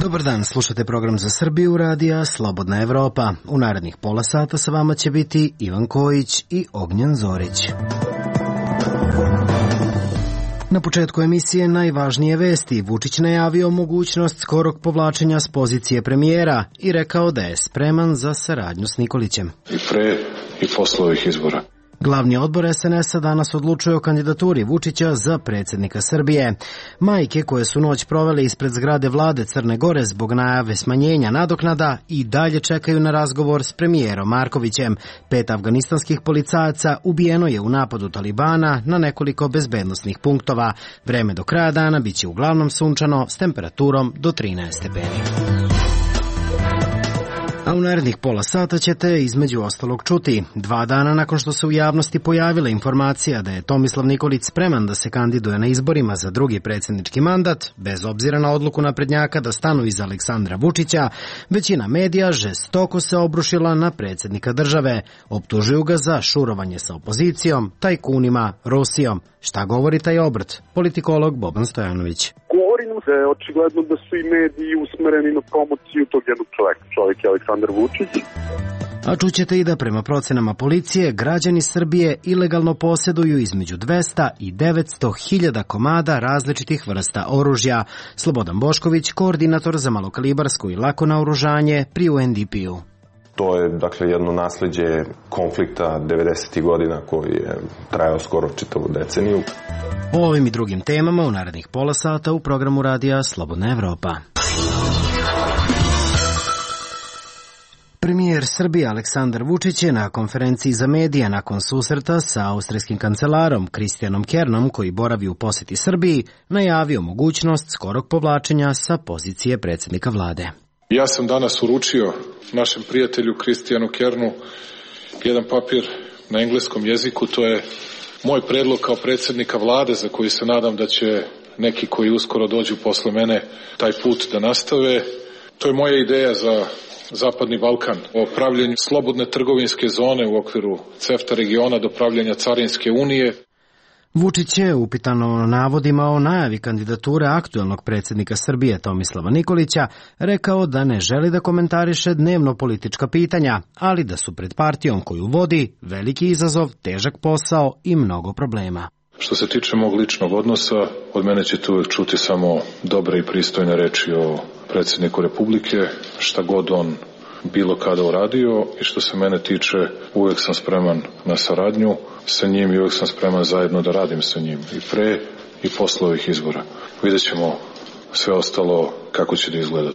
Dobar dan, slušate program za Srbiju radija Slobodna Evropa. U narednih pola sata sa vama će biti Ivan Kojić i Ognjen Zorić. Na početku emisije najvažnije vesti. Vučić najavio mogućnost skorog povlačenja s pozicije premijera i rekao da je spreman za saradnju s Nikolićem. I pre i posle ovih izbora. Glavni odbor SNS-a danas odlučuje o kandidaturi Vučića za predsjednika Srbije. Majke koje su noć provele ispred zgrade vlade Crne Gore zbog najave smanjenja nadoknada i dalje čekaju na razgovor s premijerom Markovićem. 5 afganistanskih policajaca ubijeno je u napadu Talibana na nekoliko bezbednosnih punktova. Vreme do kraja dana biće uglavnom sunčano s temperaturom do 13 stepeni. A u narednih pola sata ćete između ostalog čuti. 2 dana nakon što se u javnosti pojavila informacija da je Tomislav Nikolić spreman da se kandiduje na izborima za drugi predsjednički mandat, bez obzira na odluku naprednjaka da stanu iza Aleksandra Vučića, većina medija žestoko se obrušila na predsjednika države. Optužuju ga za šurovanje sa opozicijom, tajkunima, Rusijom. Šta govori taj obrt? Politikolog Boban Stojanović. Govorim se, očigledno da su i mediji usmereni na promociju tog jednog čoveka. Čovjek je Aleksandar Vučić. A čućete i da prema procenama policije građani Srbije ilegalno posjeduju između 200 i 900 hiljada komada različitih vrsta oružja. Slobodan Bošković, koordinator za malokalibarsko i lako naoružanje pri UNDP-u. To je, dakle, jedno nasleđe konflikta 90. godina koji je trajao skoro čitavu deceniju. O ovim i drugim temama u narednih pola sata u programu radija Slobodna Evropa. Premijer Srbije Aleksandar Vučić je na konferenciji za medije nakon susreta sa austrijskim kancelarom Kristijanom Kernom, koji boravi u posjeti Srbiji, najavio mogućnost skorog povlačenja sa pozicije predsjednika vlade. Ja sam danas uručio našem prijatelju Kristijanu Kernu jedan papir na engleskom jeziku. To je moj predlog kao predsjednika vlade, za koji se nadam da će neki koji uskoro dođu posle mene taj put da nastave. To je moja ideja za Zapadni Balkan, o pravljenju slobodne trgovinske zone u okviru CEFTA regiona do pravljenja Carinske unije. Vučić je upitano navodima o najavi kandidature aktuelnog predsjednika Srbije Tomislava Nikolića rekao da ne želi da komentariše dnevno politička pitanja, ali da su pred partijom koju vodi veliki izazov, težak posao i mnogo problema. Što se tiče mog ličnog odnosa, od mene ćete uvek čuti samo dobre i pristojne reči o predsjedniku Republike, šta god on bilo kada uradio, i što se mene tiče uvek sam spreman na saradnju sa njim i uvek sam spreman zajedno da radim sa njim i pre i posle ovih izbora. Vidjet ćemo sve ostalo kako će da izgleda.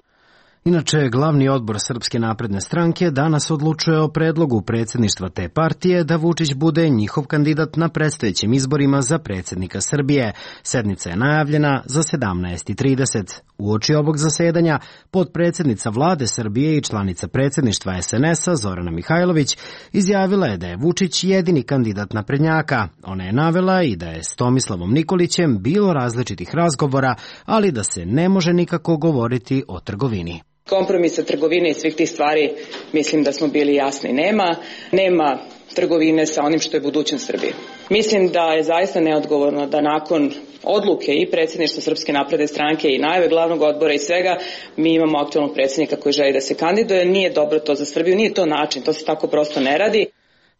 Inače, glavni odbor Srpske napredne stranke danas odlučuje o predlogu predsjedništva te partije da Vučić bude njihov kandidat na predstojećim izborima za predsjednika Srbije. Sednica je najavljena za 17:30. Uoči ovog zasedanja, potpredsjednica vlade Srbije i članica predsjedništva SNS-a Zorana Mihajlović izjavila je da je Vučić jedini kandidat naprednjaka. Ona je navela i da je s Tomislavom Nikolićem bilo različitih razgovora, ali da se ne može nikako govoriti o trgovini. Kompromisa trgovine i svih tih stvari mislim da smo bili jasni. Nema trgovine sa onim što je budućnost Srbije. Mislim da je zaista neodgovorno da nakon odluke i predsjedništva Srpske napredne stranke i najave glavnog odbora i svega, mi imamo aktualnog predsjednika koji želi da se kandiduje. Nije dobro to za Srbiju, nije to način, to se tako prosto ne radi.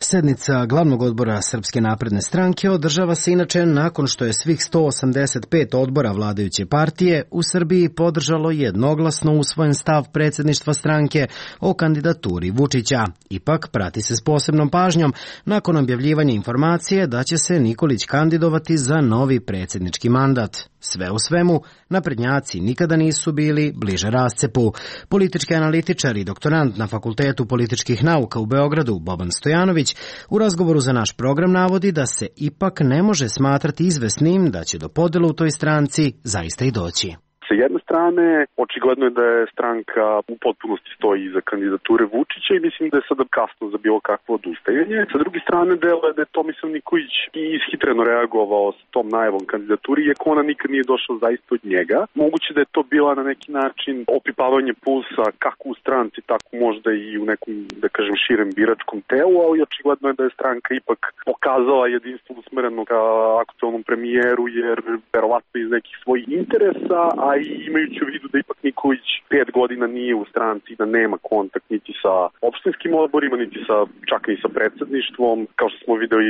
Sednica glavnog odbora Srpske napredne stranke održava se inače nakon što je svih 185 odbora vladajuće partije u Srbiji podržalo jednoglasno usvojen stav predsjedništva stranke o kandidaturi Vučića. Ipak prati se s posebnom pažnjom nakon objavljivanja informacije da će se Nikolić kandidovati za novi predsjednički mandat. Sve u svemu, naprednjaci nikada nisu bili bliže rascepu. Politički analitičar i doktorant na Fakultetu političkih nauka u Beogradu Boban Stojanović u razgovoru za naš program navodi da se ipak ne može smatrati izvesnim da će do podjela u toj stranci zaista i doći. Sa jedne strane, očigledno je da je stranka u potpunosti stoji iza kandidature Vučića i mislim da je sada kasno za bilo kakvo odustajanje. Sa druge strane, delo je da je Tomislav Nikolić i ishitreno reagovao sa tom najavom kandidaturi, iako ona nikad nije došla zaista od njega. Moguće da je to bila na neki način opipavanje pulsa kako u stranci, tako možda i u nekom, da kažem, širem biračkom telu, ali očigledno je da je stranka ipak pokazala jedinstvo usmereno ka aktualnom premijeru, jer verovatno iz nekih svojih interesa, a i imajući u vidu da ipak Nikolić 5 godina nije u stranci, da nema kontakt niti sa opštinskim odborima, niti sa, čak i sa predsedništvom, kao što smo videli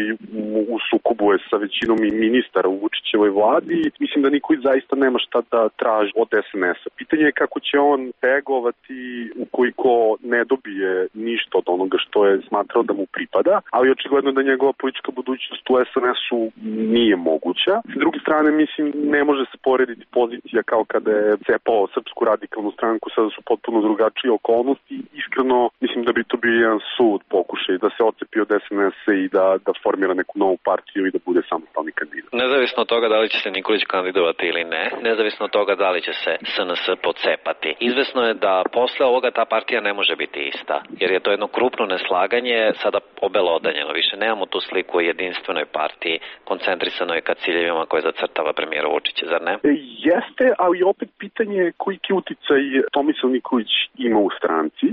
u sukobu je sa većinom i ministara u Vučićevoj vladi. Mislim da Nikolić zaista nema šta da traži od SNS-a. Pitanje je kako će on reagovati ukoliko ne dobije ništa od onoga što je smatrao da mu pripada, ali očigledno da njegova politička budućnost u SNS-u nije moguća. S druge strane, mislim, ne može se porediti pozicija kao kada je cepao Srpsku radikalnu stranku, sada su potpuno drugačije okolnosti. Iskreno, mislim da bi to bio jedan sud pokušaj da se otcepi od SNS-a i da formira neku novu partiju i da bude samostalni kandidat. Nezavisno od toga da li će se Nikolić kandidovati ili ne, nezavisno od toga da li će se SNS pocepati, izvesno je da posle ovoga ta partija ne može biti ista, jer je to jedno krupno neslaganje sada obelodanjeno. Više nemamo tu sliku o jedinstvenoj partiji, koncentrisanoj ka ciljevima koje zacrtava premijer Vučić, zar ne? Jeste, ali opet pitanje je koliki uticaj Tomislav Nikolić ima u stranci.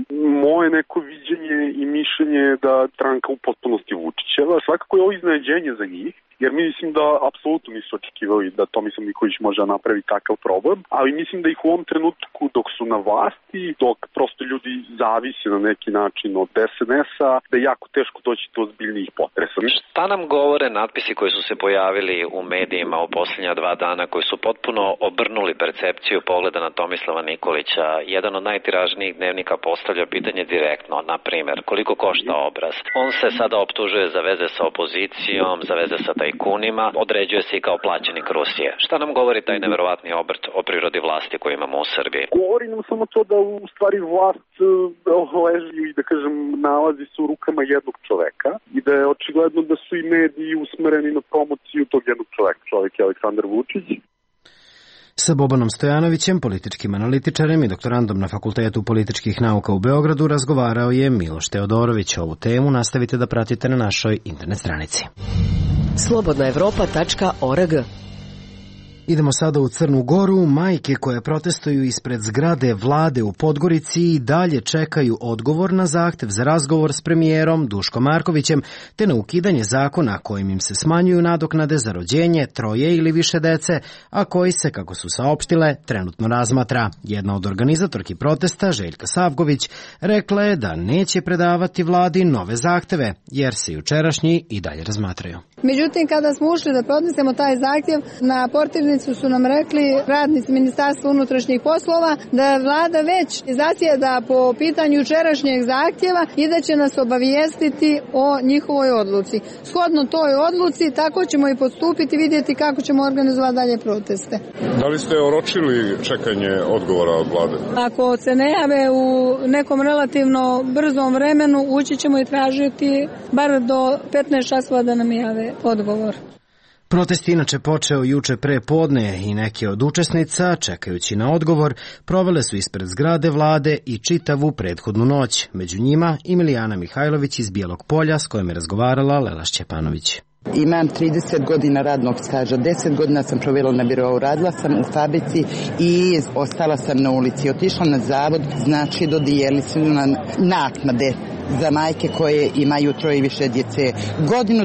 Moje neko viđenje i mišljenje je da stranka u potpunosti Vučićeva. Svakako je ovo iznenađenje za njih, jer mi mislim da apsolutno nisu očekivali da Tomislav Nikolić može napravi takav problem, ali mislim da ih u ovom trenutku dok su na vlasti, dok prosto ljudi zavise na neki način od SNS-a, da je jako teško doći do ozbiljnijih potresa. Šta nam govore natpisi koji su se pojavili u medijima u posljednja 2 dana, koji su potpuno obrnuli percepciju pogleda na Tomislava Nikolića? Jedan od najtiražnijih dnevnika postavlja pitanje direktno, na primjer, koliko košta obraz? On se sada optužuje za veze sa opozicijom, za veze sa tajkunima, određuje se i kao plaćenik Rusije. Šta nam govori taj neverovatni obrt o prirodi vlasti koju imamo u Srbiji? Govori nam samo to da u stvari vlast leži i da kažem nalazi se u rukama jednog čoveka i da je očigledno da su i mediji usmereni na promociju tog jednog čoveka. Čovek je Aleksandar Vučić. Sa Bobanom Stojanovićem, političkim analitičarem i doktorandom na Fakultetu političkih nauka u Beogradu, razgovarao je Miloš Teodorović. Ovu temu nastavite da pratite na našoj internet stranici. slobodnaevropa.org. Idemo sada u Crnu Goru. Majke koje protestuju ispred zgrade vlade u Podgorici i dalje čekaju odgovor na zahtev za razgovor s premijerom Duškom Markovićem, te na ukidanje zakona kojim im se smanjuju nadoknade za rođenje 3 ili više dece, a koji se, kako su saopštile, trenutno razmatra. Jedna od organizatorki protesta, Željka Savgović, rekla je da neće predavati vladi nove zahteve, jer se jučerašnji i dalje razmatraju. Međutim, kada smo ušli da podnesemo taj zahtjev, na portirnicu su nam rekli radnici Ministarstva unutrašnjih poslova da je vlada već zasjeda po pitanju jučerašnjeg zahtjeva i da će nas obavijestiti o njihovoj odluci. Shodno toj odluci, tako ćemo i postupiti, vidjeti kako ćemo organizovati dalje proteste. Da li ste oročili čekanje odgovora od vlade? Ako se ne jave u nekom relativno brzom vremenu, ući ćemo i tražiti bar do 15 časova da nam jave odgovor. Protest inače počeo juče pre podne i neke od učesnica, čekajući na odgovor, provele su ispred zgrade vlade i čitavu prethodnu noć. Među njima i Milijana Mihajlović iz Bijelog Polja, s kojom je razgovarala Lela Šćepanović. Imam 30 godina radnog staža, 10 godina sam provela na birou, radila sam u fabrici i ostala sam na ulici. Otišla na zavod, znači dodijelili su nam naknade za majke koje imaju 3 i više djece. Godine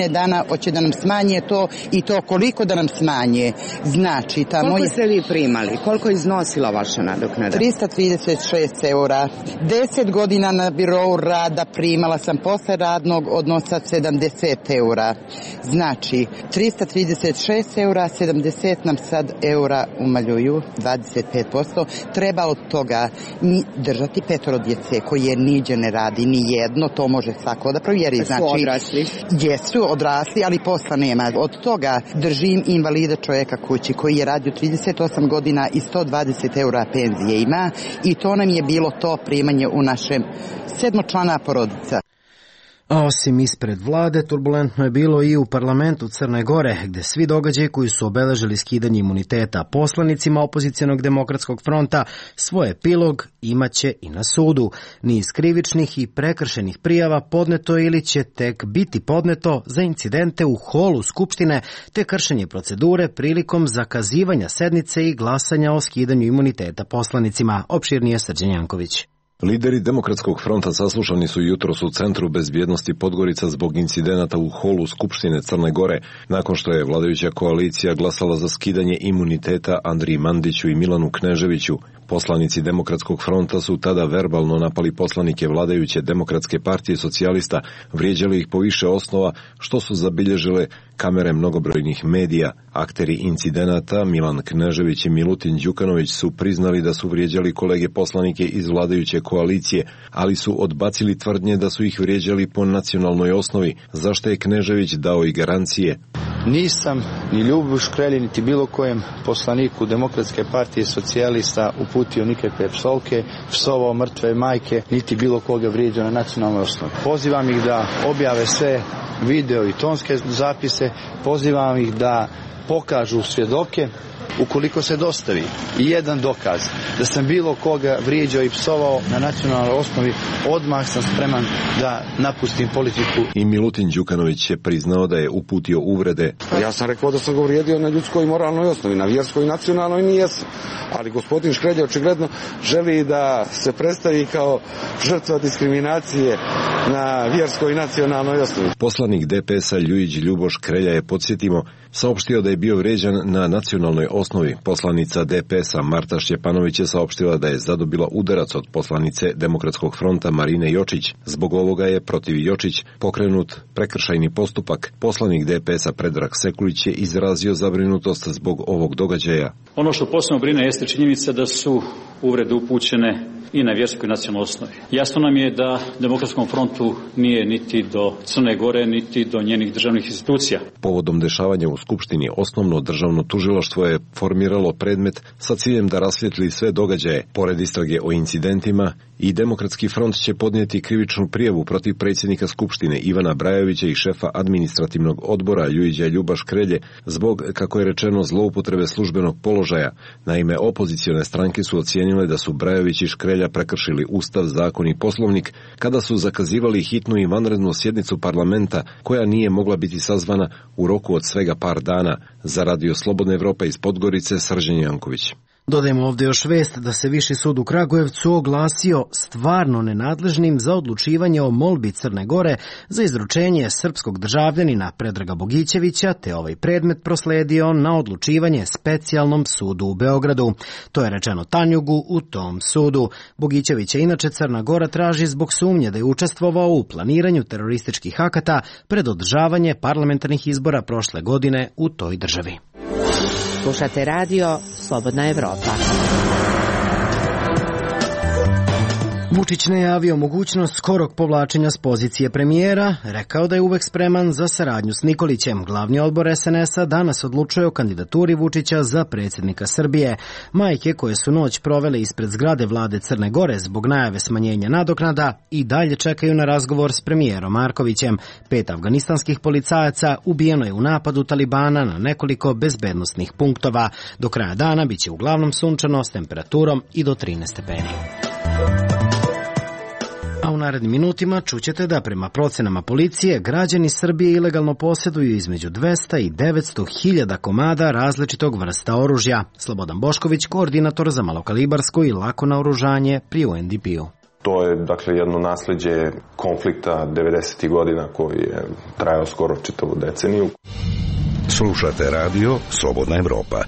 dana hoće da nam smanje to i to koliko da nam smanje. Znači, koliko ste vi primali? Koliko je iznosila vaša nadoknada? 336 eura. 10 godina na birou rada primala sam posle radnog odnosa 70 eura. Znači, 336 eura, 70 nam sad eura umaljuju, 25%. Treba od toga držati 5 djece koje niđe ne radi, ni jedno, to može svako da provjeri. Znači, su odrasli? Jesu odrasli, ali posla nema. Od toga držim invalida čovjeka kući koji je radio 38 godina i 120 eura penzije ima i to nam je bilo to primanje u našem 7-člana porodica. A osim ispred vlade, turbulentno je bilo i u parlamentu Crne Gore, gde svi događaji koji su obeležili skidanje imuniteta poslanicima opozicionog demokratskog fronta svoj epilog imaće i na sudu. Niz krivičnih i prekršenih prijava podneto ili će tek biti podneto za incidente u holu Skupštine te kršenje procedure prilikom zakazivanja sednice i glasanja o skidanju imuniteta poslanicima. Opširnije Srđan Janković. Lideri Demokratskog fronta saslušani su jutros u Centru bezbjednosti Podgorica zbog incidenata u holu Skupštine Crne Gore, nakon što je vladajuća koalicija glasala za skidanje imuniteta Andriji Mandiću i Milanu Kneževiću. Poslanici Demokratskog fronta su tada verbalno napali poslanike vladajuće Demokratske partije socijalista, vrijeđali ih po više osnova, što su zabilježile kamere mnogobrojnih medija. Akteri incidenata Milan Knežević i Milutin Đukanović su priznali da su vrijeđali kolege poslanike iz vladajuće koalicije, ali su odbacili tvrdnje da su ih vrijeđali po nacionalnoj osnovi, za što je Knežević dao i garancije. Nisam ni Ljubu Škrelji, niti bilo kojem poslaniku Demokratske partije socijalista uputio nikakve psovke, psovao mrtve majke, niti bilo koga vrijeđao na nacionalnoj osnovi. Pozivam ih da objave sve video i tonske zapise, pozivam ih da pokažu svjedoke. Ukoliko se dostavi i jedan dokaz da sam bilo koga vrijeđao i psovao na nacionalnoj osnovi, odmah sam spreman da napustim politiku. I Milutin Đukanović je priznao da je uputio uvrede. Ja sam rekao da sam ga uvrijedio na ljudskoj i moralnoj osnovi, na vjerskoj i nacionalnoj nijesam. Ali gospodin Škrelj očigledno želi da se predstavi kao žrtva diskriminacije na vjerskoj i nacionalnoj osnovi. Poslanik DPS-a Ljujić Ljubo Škrelja je, podsjetimo, saopštio da je bio vrijeđan na nacionalnoj osnovi. Poslanica DPS-a Marta Šćepanović je saopštila da je zadobila udarac od poslanice Demokratskog fronta Marine Jočić. Zbog ovoga je protiv Jočić pokrenut prekršajni postupak. Poslanik DPS-a Predrag Sekulić je izrazio zabrinutost zbog ovog događaja. Ono što posebno brine jeste činjenica da su uvrede upućene i na vjerskoj i nacionalnoj osnovi. Jasno nam je da Demokratskom frontu nije niti do Crne Gore, niti do njenih državnih institucija. Povodom dešavanja u Skupštini, osnovno državno tužilaštvo je formiralo predmet sa ciljem da rasvijetli sve događaje. Pored istrage o incidentima, i Demokratski front će podnijeti krivičnu prijavu protiv predsjednika Skupštine Ivana Brajovića i šefa administrativnog odbora Ljujića Ljuba Škrelje zbog, kako je rečeno, zloupotrebe službenog položaja. Naime, opozicione stranke su ocijenile da su Brajović i Škrelja prekršili Ustav, zakon i Poslovnik kada su zakazivali hitnu i vanrednu sjednicu parlamenta koja nije mogla biti sazvana u roku od svega par dana. Za Radio Slobodna Evropa iz Podgorice, Srđan Janković. Dodajemo ovdje još vest da se Viši sud u Kragujevcu oglasio stvarno nenadležnim za odlučivanje o molbi Crne Gore za izručenje srpskog državljanina Predraga Bogićevića, te ovaj predmet prosledio na odlučivanje specijalnom sudu u Beogradu. To je rečeno Tanjugu u tom sudu. Bogićevića inače Crna Gora traži zbog sumnje da je učestvovao u planiranju terorističkih akata pred održavanje parlamentarnih izbora prošle godine u toj državi. Slušate radio Slobodna Evropa. Vučić najavio mogućnost skorog povlačenja s pozicije premijera, rekao da je uvek spreman za saradnju s Nikolićem. Glavni odbor SNS-a danas odlučuje o kandidaturi Vučića za predsjednika Srbije. Majke koje su noć provele ispred zgrade vlade Crne Gore zbog najave smanjenja nadoknada i dalje čekaju na razgovor s premijerom Markovićem. 5 afganistanskih policajaca ubijeno je u napadu Talibana na nekoliko bezbednosnih punktova. Do kraja dana biće uglavnom sunčano s temperaturom i do 13 stepeni. A u narednim minutima čućete da prema procenama policije građani Srbije ilegalno posjeduju između 200 i 900 hiljada komada različitog vrsta oružja. Slobodan Bošković, koordinator za malokalibarsko i lako naoružanje pri UNDP-u. To je, dakle, jedno nasljeđe konflikta 90. godina koji je trajao skoro čitavu deceniju. Slušate radio Slobodna Evropa.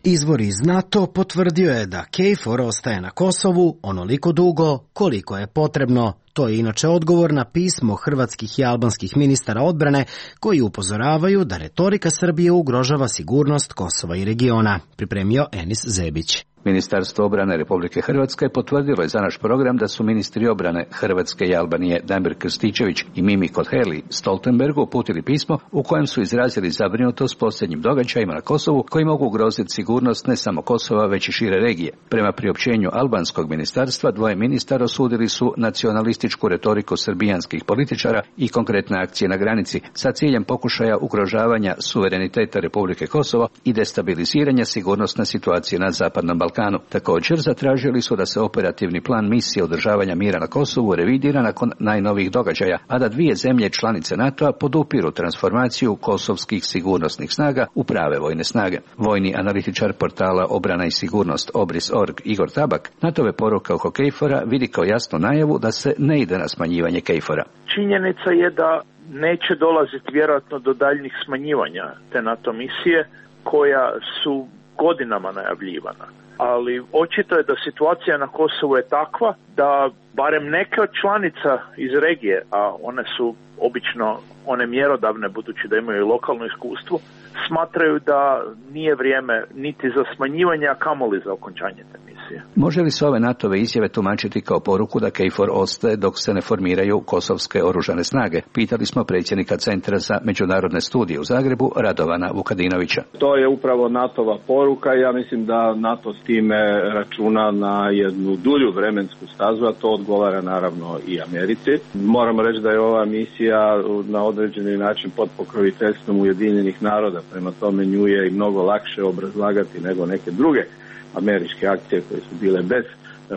Izvor iz NATO potvrdio je da KFOR ostaje na Kosovu onoliko dugo koliko je potrebno. To je inače odgovor na pismo hrvatskih i albanskih ministara odbrane koji upozoravaju da retorika Srbije ugrožava sigurnost Kosova i regiona, pripremio Enis Zebić. Ministarstvo obrane Republike Hrvatske potvrdilo je za naš program da su ministri obrane Hrvatske i Albanije Damir Krstičević i Mimi Kotheli Stoltenbergu uputili pismo u kojem su izrazili zabrinutost posljednjim događajima na Kosovu koji mogu ugroziti sigurnost ne samo Kosova već i šire regije. Prema priopćenju albanskog ministarstva, dvoje ministara osudili su nacionalističku retoriku srbijanskih političara i konkretne akcije na granici sa ciljem pokušaja ugrožavanja suvereniteta Republike Kosovo i destabiliziranja sigurnosne situacije na Zapadnom Balkanu. Također zatražili su da se operativni plan misije održavanja mira na Kosovu revidira nakon najnovijih događaja, a da dvije zemlje članice NATO-a podupiru transformaciju kosovskih sigurnosnih snaga u prave vojne snage. Vojni analitičar portala Obrana i sigurnost Obris.org Igor Tabak NATO-ve poruke oko KFOR-a vidi kao jasnu najavu da se ne ide na smanjivanje KFOR-a. Činjenica je da neće dolaziti vjerojatno do daljnjih smanjivanja te NATO misije koja su godinama najavljivana. Ali očito je da situacija na Kosovu je takva da barem neke od članica iz regije, a one su obično one mjerodavne budući da imaju lokalno iskustvo, smatraju da nije vrijeme niti za smanjivanje, a kamoli za okončanje te misije. Može li se ove NATO-ve izjave tumačiti kao poruku da KFOR ostaje dok se ne formiraju kosovske oružane snage? Pitali smo predsjednika Centra za međunarodne studije u Zagrebu, Radovana Vukadinovića. To je upravo NATO-va poruka i ja mislim da NATO s time računa na jednu dulju vremensku stazu, a to odgovara naravno i Americi. Moramo reći da je ova misija na određeni način pod pokroviteljstvom Ujedinjenih naroda, prema tome nju je i mnogo lakše obrazlagati nego neke druge američke akcije koje su bile bez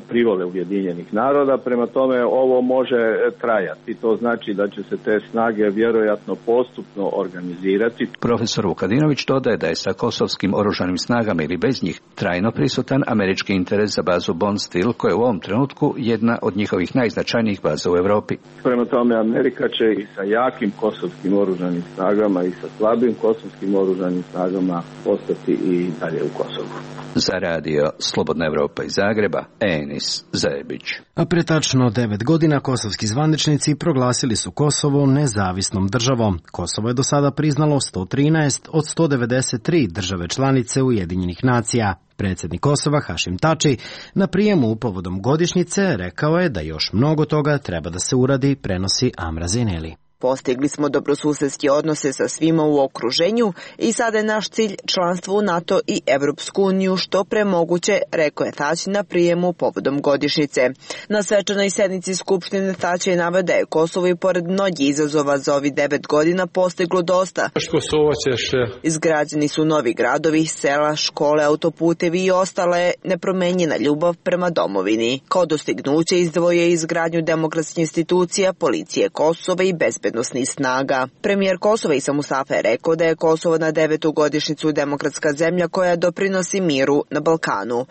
privole Ujedinjenih naroda, prema tome ovo može trajati. To znači da će se te snage vjerojatno postupno organizirati. Profesor Vukadinović dodaje da je sa kosovskim oružanim snagama ili bez njih trajno prisutan američki interes za bazu Bondsteel, koja je u ovom trenutku jedna od njihovih najznačajnijih baza u Europi. Prema tome Amerika će i sa jakim kosovskim oružanim snagama i sa slabim kosovskim oružanim snagama ostati i dalje u Kosovu. Za radio Slobodna Evropa iz Zagreba, Enis Zajebić. A pre tačno 9 godina kosovski zvaničnici proglasili su Kosovo nezavisnom državom. Kosovo je do sada priznalo 113 od 193 države članice Ujedinjenih nacija. Predsjednik Kosova Hašim Tači na prijemu povodom godišnjice rekao je da još mnogo toga treba da se uradi, prenosi Amra Zeneli. Postigli smo dobrosusedske odnose sa svima u okruženju i sada je naš cilj članstvo u NATO i Evropsku uniju što pre moguće, rekao je Tači na prijemu povodom godišnjice. Na svečanoj sednici Skupštine Tači je naveo da je Kosovo i pored mnogih izazova za ovih 9 godina postiglo dosta. Izgrađeni su novi gradovi, sela, škole, autoputevi i ostala je nepromenjena ljubav prema domovini. Kao dostignuće izdvojio je izgradnju demokratskih institucija, policije Kosova i bezbednosti snaga. Premijer Kosova Isa Mustafa je rekao da je Kosovo na 9. godišnjicu demokratska zemlja koja doprinosi miru na Balkanu.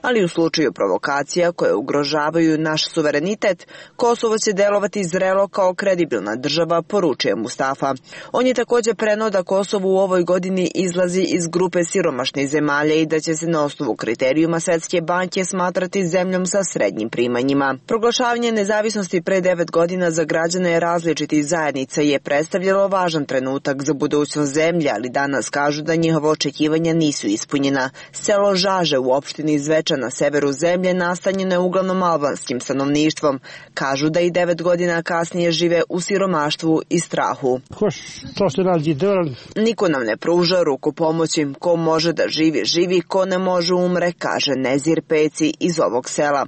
Ali u slučaju provokacija koje ugrožavaju naš suverenitet, Kosovo će delovati zrelo kao kredibilna država, poručuje Mustafa. On je također preneo da Kosovo u ovoj godini izlazi iz grupe siromašnih zemalja i da će se na osnovu kriterijuma Svetske banke smatrati zemljom sa srednjim primanjima. Proglašavanje nezavisnosti pre 9 godina za građane različitih zajednica je predstavljalo važan trenutak za budućnost zemlje, ali danas kažu da njihova očekivanja nisu ispunjena. Selo Žaže u opštini Zvečan na severu zemlje nastanjeno je uglavnom albanskim stanovništvom. Kažu da i 9 godina kasnije žive u siromaštvu i strahu. Niko nam ne pruža ruku pomoći. Ko može da živi, živi, ko ne može umre, kaže Nezir Peci iz ovog sela.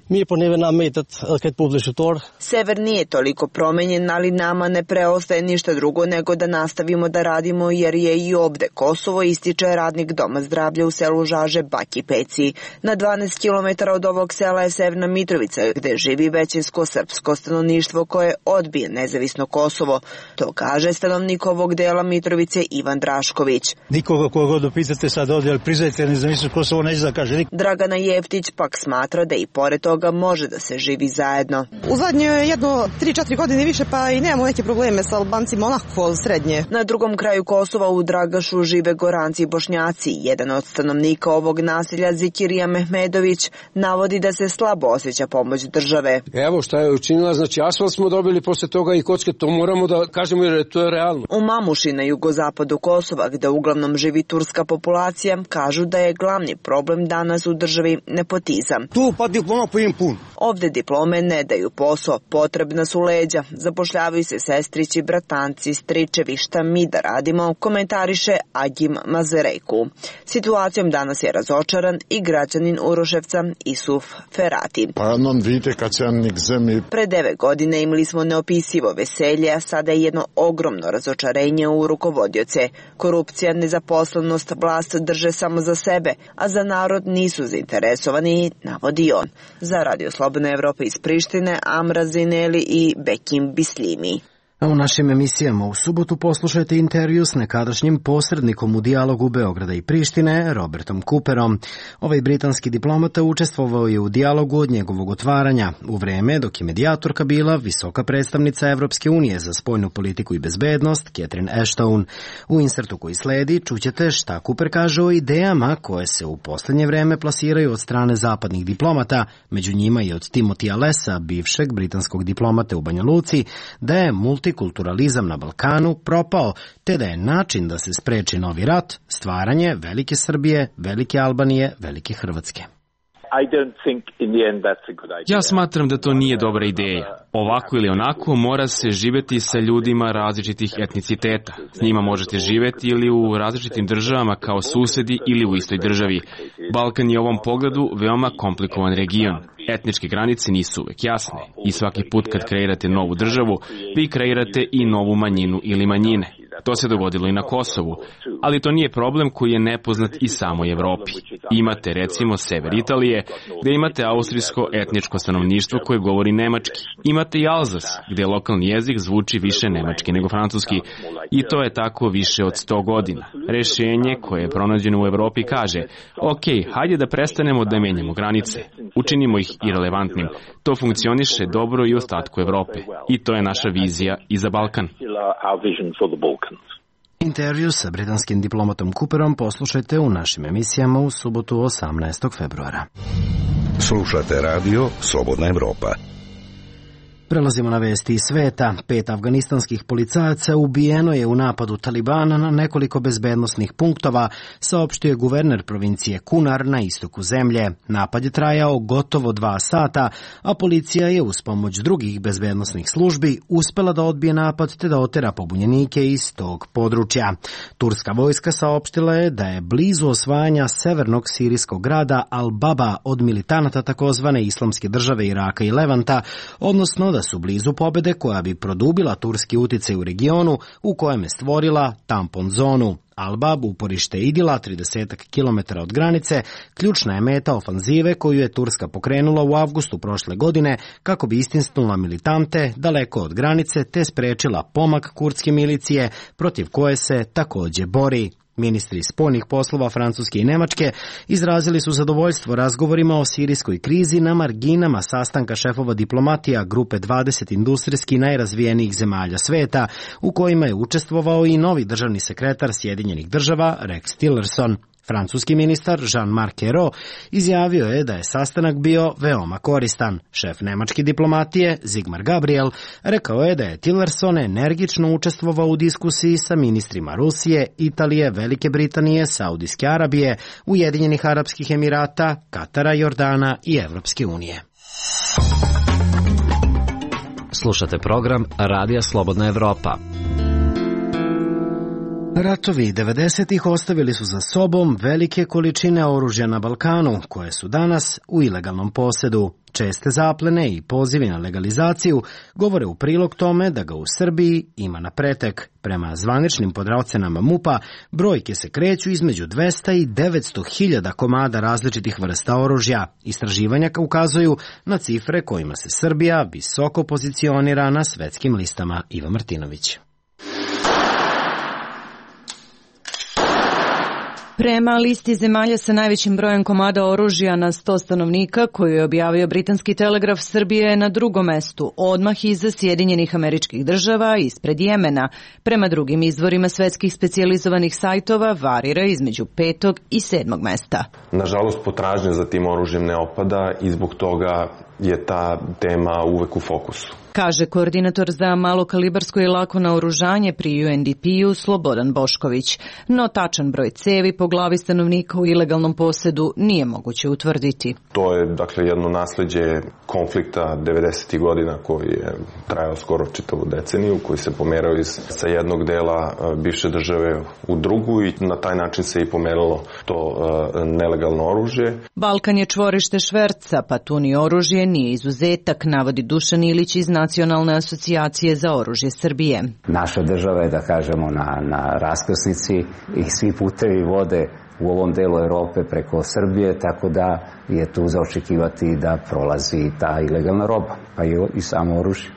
Sever nije toliko promenjen, ali nama ne preostaje ništa drugo nego da nastavimo da radimo jer je i ovde Kosovo, ističe radnik Doma zdravlja u selu Žaže Baki Peci. Na 12 km od ovog sela je Severna Mitrovica, gde živi većinsko srpsko stanovništvo koje odbije nezavisno Kosovo. To kaže stanovnik ovog dela Mitrovice Ivan Drašković. Nikoga koga dopitate sad ovdje, ali priznajte nezavisno Kosovo, neće da kaže. Dragana Jeftić pak smatra da i pored toga može da se živi zajedno. U zadnjoj jedno 3-4 godine više, pa i nemamo neke probleme sa Albancima onako srednje. Na drugom kraju Kosova u Dragašu žive Goranci i Bošnjaci. Jedan od stanovnika ovog naselja, Zikirija Mehmedović, navodi da se slabo osjeća pomoć države. Evo šta je učinila, znači asfalt smo dobili posle toga i kocke, to moramo da kažemo jer to je realno. U Mamuši na jugozapadu Kosova, gde uglavnom živi turska populacija, kažu da je glavni problem danas u državi nepotizam. Tu pa diploma po im pun. Ovde diplome ne daju posao, potrebna su leđa, zapošljavaju se sestrići, bratanci, stričevi, šta mi da radimo, komentariše Agim Mazerejku. Situacijom danas je razočaran i građanin Uroševca Isuf Ferati. Pre 9 godine imali smo neopisivo veselje, a sada je jedno ogromno razočarenje u rukovodioce. Korupcija, nezaposlenost, vlast drže samo za sebe, a za narod nisu zainteresovani, navodi on. Za Radio Slobodna Evropa iz Prištine, Amra Zineli i Bekim Bislimi. A u našim emisijama u subotu poslušajte intervju s nekadašnjim posrednikom u dijalogu Beograda i Prištine, Robertom Cooperom. Ovaj britanski diplomata učestvovao je u dijalogu od njegovog otvaranja, u vreme dok je medijatorka bila visoka predstavnica Evropske unije za spoljnu politiku i bezbednost, Catherine Ashton. U insertu koji sledi čućete šta Cooper kaže o idejama koje se u posljednje vreme plasiraju od strane zapadnih diplomata, među njima i od Timothyja Lessa, bivšeg britanskog diplomate u Banja Luci, da je multikulturalizam na Balkanu propao, te da je način da se spreči novi rat stvaranje velike Srbije, velike Albanije, velike Hrvatske. Ja smatram da to nije dobra ideja. Ovako ili onako mora se živeti sa ljudima različitih etniciteta. S njima možete živeti ili u različitim državama kao susedi ili u istoj državi. Balkan je u ovom pogledu veoma komplikovan region. Etničke granice nisu uvek jasne i svaki put kad kreirate novu državu, vi kreirate i novu manjinu ili manjine. To se dogodilo i na Kosovu, ali to nije problem koji je nepoznat i samoj Evropi. Imate recimo sever Italije, gde imate austrijsko etničko stanovništvo koje govori nemački. Imate i Alzas, gde lokalni jezik zvuči više nemački nego francuski. I to je tako više od 100 godina. Rešenje koje je pronađeno u Evropi kaže, ok, hajde da prestanemo da menjamo granice. Učinimo ih irelevantnim. To funkcioniše dobro i u ostatku Evrope. I to je naša vizija i za Balkan. Intervju sa britanskim diplomatom Cooperom poslušajte u našim emisijama u subotu 18. februara. Slušate radio Slobodna Evropa. Prelazimo na vesti iz sveta. 5 afganistanskih policajaca ubijeno je u napadu Talibana na nekoliko bezbednosnih punktova, saopštio je guverner provincije Kunar na istoku zemlje. Napad je trajao gotovo 2 sata, a policija je uz pomoć drugih bezbednosnih službi uspela da odbije napad te da otera pobunjenike iz tog područja. Turska vojska saopštila je da je blizu osvajanja severnog sirijskog grada Al-Baba od militanata takozvane Islamske države Iraka i Levanta, odnosno da su blizu pobede koja bi produbila turski uticaj u regionu u kojem je stvorila tampon zonu. Al-Bab, uporište Idila, 30 km od granice, ključna je meta ofanzive koju je Turska pokrenula u avgustu prošle godine kako bi istisnula militante daleko od granice te sprečila pomak kurdske milicije protiv koje se takođe bori. Ministri spoljnih poslova Francuske i Nemačke izrazili su zadovoljstvo razgovorima o sirijskoj krizi na marginama sastanka šefova diplomatija grupe 20 industrijski najrazvijenijih zemalja sveta, u kojima je učestvovao i novi državni sekretar Sjedinjenih država Rex Tillerson. Francuski ministar Jean-Marc Ayrault izjavio je da je sastanak bio veoma koristan. Šef nemačke diplomatije Sigmar Gabriel rekao je da je Tillerson energično učestvovao u diskusiji sa ministrima Rusije, Italije, Velike Britanije, Saudijske Arabije, Ujedinjenih Arapskih Emirata, Katara, Jordana i Evropske unije. Slušate program Radija Slobodna Evropa. Ratovi 90-ih ostavili su za sobom velike količine oružja na Balkanu, koje su danas u ilegalnom posedu. Česte zaplene i pozivi na legalizaciju govore u prilog tome da ga u Srbiji ima na pretek. Prema zvaničnim podraocenama MUP-a, brojke se kreću između 200 i 900 hiljada komada različitih vrsta oružja. Istraživanja ukazuju na cifre kojima se Srbija visoko pozicionira na svetskim listama. Iva Martinović. Prema listi zemalja sa najvećim brojem komada oružja na 100 stanovnika, koju je objavio britanski Telegraf, Srbija je na drugom mestu, odmah iza Sjedinjenih Američkih Država, ispred Jemena. Prema drugim izvorima svetskih specijalizovanih sajtova varira između 5. i 7. mesta. Nažalost, potražnja za tim oružjem ne opada i zbog toga je ta tema uvek u fokusu. Kaže koordinator za malokalibarsko i lako naoružanje pri UNDP-u Slobodan Bošković. No tačan broj cevi po glavi stanovnika u ilegalnom posedu nije moguće utvrditi. To je jedno nasleđe konflikta 90. godina koji je trajao skoro čitavu deceniju, koji se pomerao sa jednog dela bivše države u drugu i na taj način se i pomeralo to nelegalno oružje. Balkan je čvorište šverca, pa tu ni oružje nije izuzetak, navodi Dušan Ilić iz Nacionalne asocijacije za oružje Srbije. Naša država je, da kažemo, na raskrsnici i svi putevi vode u ovom delu Evrope preko Srbije, tako da je tu za očekivati da prolazi ta ilegalna roba, pa i samo oružje.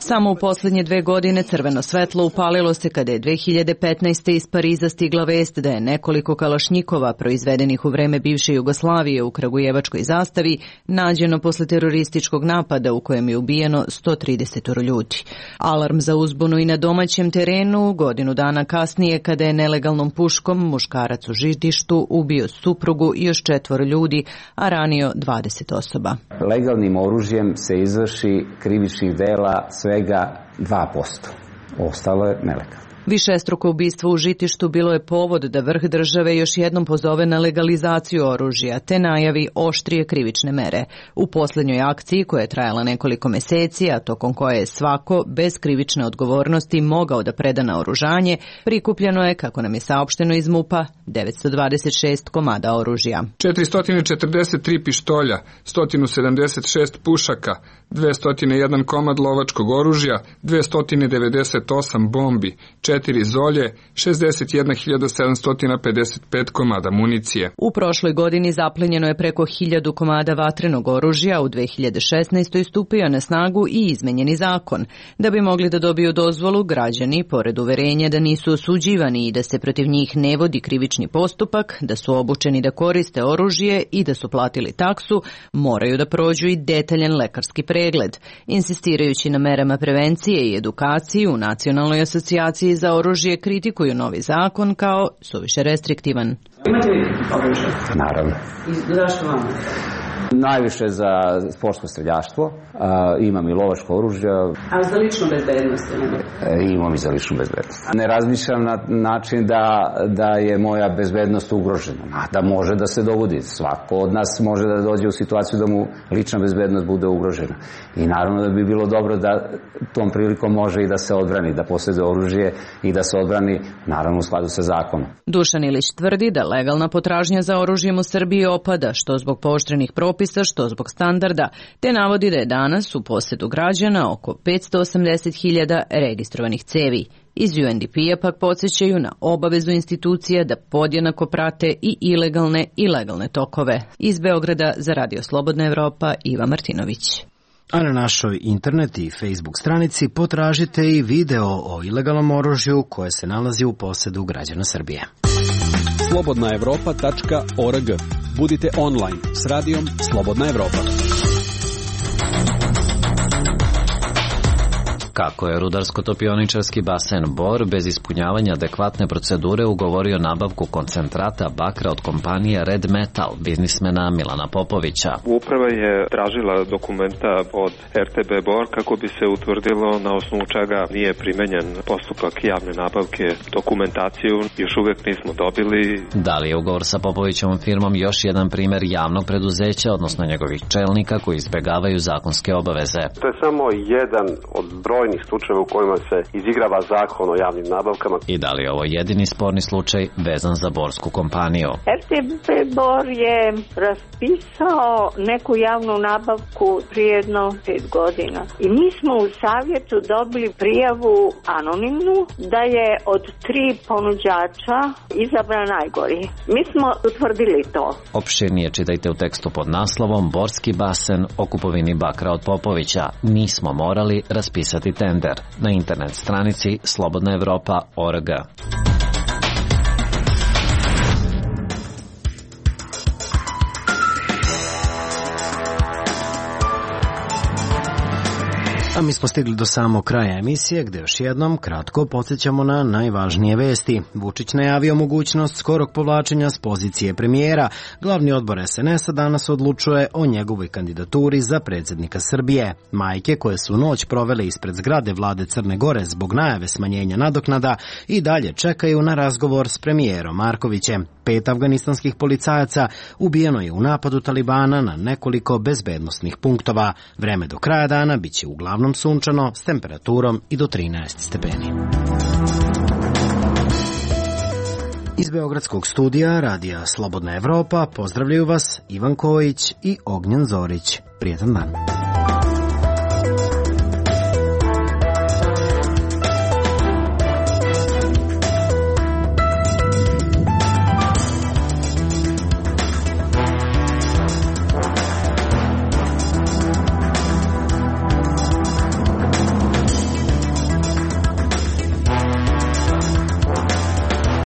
Samo u posljednje 2 godine crveno svetlo upalilo se kada je 2015. iz Pariza stigla vest da je nekoliko kalašnjikova proizvedenih u vreme bivše Jugoslavije u Kragujevačkoj zastavi nađeno posle terorističkog napada u kojem je ubijeno 130 ljudi. Alarm za uzbunu i na domaćem terenu godinu dana kasnije kada je nelegalnom puškom muškarac u Žitištu ubio suprugu i još 4 ljudi, a ranio 20 osoba. Legalnim oružjem se izvrši krivičnih dela svega 2%. Ostalo je nelegalno. Višestruko ubistvo u Žitištu bilo je povod da vrh države još jednom pozove na legalizaciju oružja te najavi oštrije krivične mere. U posljednjoj akciji, koja je trajala nekoliko meseci, a tokom koje je svako bez krivične odgovornosti mogao da preda naoružanje, prikupljeno je, kako nam je saopšteno iz MUP-a, 926 komada oružja. 443 pištolja, 176 pušaka, 201 komad lovačkog oružja, 298 bombi, 4 zolje, 61.755 komada municije. U prošloj godini zaplenjeno je preko 1000 komada vatrenog oružja, u 2016. stupio na snagu i izmenjeni zakon. Da bi mogli da dobiju dozvolu, građani, pored uverenja da nisu osuđivani i da se protiv njih ne vodi krivični postupak, da su obučeni da koriste oružje i da su platili taksu, moraju da prođu i detaljan lekarski pregled. Insistirajući na merama prevencije i edukaciji u Nacionalnoj asocijaciji za oružje kritikuju novi zakon kao suviše restriktivan. Imate li oružje? Naravno. I zašto vam? Najviše za sportsko streljaštvo, imam i lovačko oružje. A za ličnu bezbednost? Imam i za ličnu bezbednost. Ne razmišljam na način da je moja bezbednost ugrožena, da može da se dogodi. Svako od nas može da dođe u situaciju da mu lična bezbednost bude ugrožena. I naravno da bi bilo dobro da tom prilikom može i da se odbrani, da posjeduje oružje i da se odbrani, naravno u skladu sa zakonom. Dušan Ilić tvrdi da legalna potražnja za oružjem u Srbiji opada, što zbog pooštrenih propisa, što zbog standarda, te navodi da je danas u posedu građana oko 580.000 registrovanih cevi. Iz UNDP-a pak podsjećaju na obavezu institucija da podjednako prate i ilegalne i legalne tokove. Iz Beograda za Radio Slobodna Evropa, Iva Martinović. A na našoj internet i Facebook stranici potražite i video o ilegalnom oružju koje se nalazi u posedu građana Srbije. slobodnaevropa.org. Budite online s radijom Slobodna Evropa. Kako je rudarsko-topioničarski basen Bor bez ispunjavanja adekvatne procedure ugovorio nabavku koncentrata bakra od kompanije Red Metal, biznismena Milana Popovića. Uprava je tražila dokumenta od RTB Bor kako bi se utvrdilo na osnovu čega nije primenjen postupak javne nabavke. Dokumentaciju još uvek nismo dobili. Da li je ugovor sa Popovićevom firmom još jedan primer javnog preduzeća, odnosno njegovih čelnika koji izbegavaju zakonske obaveze? To je samo jedan od brojnih slučajeva u kojima se izigrava zakon o javnim nabavkama. I da li je ovo jedini sporni slučaj vezan za borsku kompaniju? RTB Bor je raspisao neku javnu nabavku prije jedno 5 godina. I mi smo u savjetu dobili prijavu anonimnu da je od 3 ponuđača izabran najgori. Mi smo utvrdili to. Opširnije čitajte u tekstu pod naslovom Borski basen o kupovini bakra od Popovića. Nismo morali raspisati raspisati tender na internet stranici slobodnaevropa.org. A mi smo stigli do samog kraja emisije, gde još jednom kratko podsjećamo na najvažnije vesti. Vučić najavio mogućnost skorog povlačenja s pozicije premijera. Glavni odbor SNS-a danas odlučuje o njegovoj kandidaturi za predsjednika Srbije. Majke koje su noć provele ispred zgrade vlade Crne Gore zbog najave smanjenja nadoknada i dalje čekaju na razgovor s premijerom Markovićem. 5 afganistanskih policajaca ubijeno je u napadu Talibana na nekoliko bezbednosnih punktova. Vreme do kraja dana biće uglavnom sunčano s temperaturom i do 13 stepeni. Iz Beogradskog studija Radija Slobodna Evropa pozdravljaju vas Ivan Kojić i Ognjen Zorić. Prijetan dan.